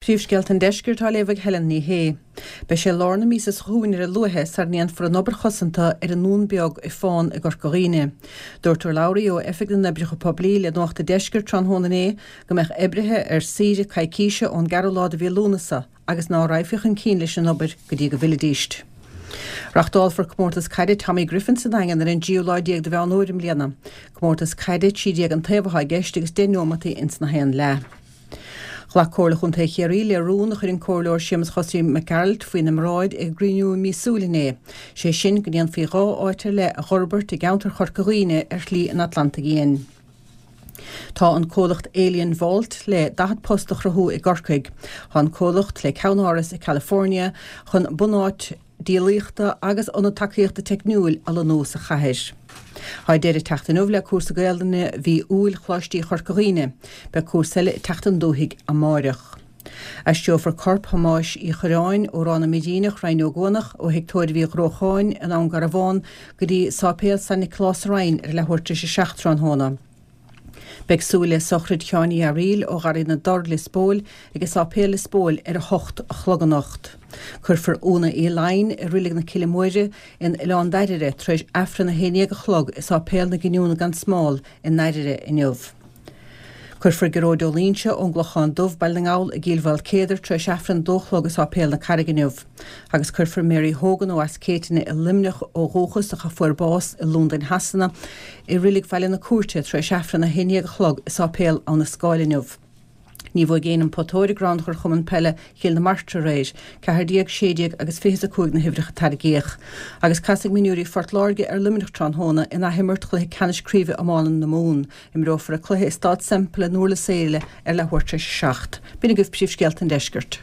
Príomhscéalta an Deiscirt á léamh ag Helen Ní Shé. Beidh sé lár na míosa seo chugainn ar a luaithe sara ndéanfar an obair chosanta ar an nDún Beag i Fán i gCorca Dhuibhne. Dúirt urlabhraí ó Oifig na nOibreacha Poiblí le Nuacht an Deiscirt tráthnóna inné go mbeadh oibrithe ar saoire coicíse ón gceathrú lá de mhí Lúnasa agus ná raghfaí chun cinn leis an obair go dtí go bhfillfidíst. Reachtálfar Comórtas Caide Tommy Griffin sa Daingean ar an dtríú lá déag de Mheán Fhómhair i mbliana. Comórtas caide 13 an taobh atá i gceist agus 10 neomataí ins na haon leath. Ghlac Comhairle Chontae Chiarraí le rún a chuir an Comhairleoir Séamus Chosaí Mac Gearailt faoina mbráid ag a gcruinniú míosúil inné, sé sin go ndéanfaí 2 áit ar leith a dh'fhorbairt i gceantar Chorca Dhuibhne ar Shlí an Atlantaigh Fhiáin. Tá an comhlacht Alien Vault le 40 post a chruthú i gCorcaigh. Tá an comhlacht, le ceannáras i California, chun bunáit díolaíochta agus ionad tacaíochta teicniúil a lonnú sa chathair. Tá deireadh ag teacht inniu le cúrsa Gaelainne mhí Iúil Choláistí Chorca Dhuibhne. Beidh cúrsa eile ag teacht chun dúthaigh amáireach. Aistreofar corp Thomáis Uí Chuirreáin ó Ráth na Muiríneach, Rinn Ó gCuanach, ó Thigh Tórraimh Uí Ghrócháin i nDún Garbhán go dtí Sáipéal San Nioclás sa Rinn ar leathuair tar éis a 7 tráthnóna. Beidh súil le sochraid Sheáin Uí Fhearaíl ó Gharraí na dTor, Lios Póil, ag Sáipéal Lios Póil ar 8 a chlog anocht. Cuirfear Úna Uí Laighin i Reilig na Cille Móire in Oileán Dairbhre tar éis Aifreann 11 a chlog i Sáipéal na Giniúna gan Smál i nDairbhre inniu. Cuirfear Gearóid Ó Loingsigh ón gClochán Dubh, Baile na nGall, i gCill Mhaoilcéadair tar éis Aifreann 2 a chlog i Sáipéal na Carraige inniu. Agus cuirfear Mary Hogan ó Eas Céitinn i Luimneach ó dhúchas ach a fuair bás i Londain Shasana, i Reilig Bhaile na Cúirte tar éis Aifreann 11 a chlog i Sáipéal Abha na Scáil inniu. Ní bhuaigh éinne an Putóir i gCrannchur Chumann Peile Chill na Martra aréir. 14, 16 agus 25 na huimhreacha a tarraingíodh. Agus casfaidh mionúirí Phort Láirge ar Luimneach tráthnóna in athimirt chluiche ceannais craoibhe iomána na Mumhan. Imreofar an cluiche i Staid Semple i nDurlas Éile ar leathuair tar éis a 7. B'in agaibh príomhscéalta an deiscirt.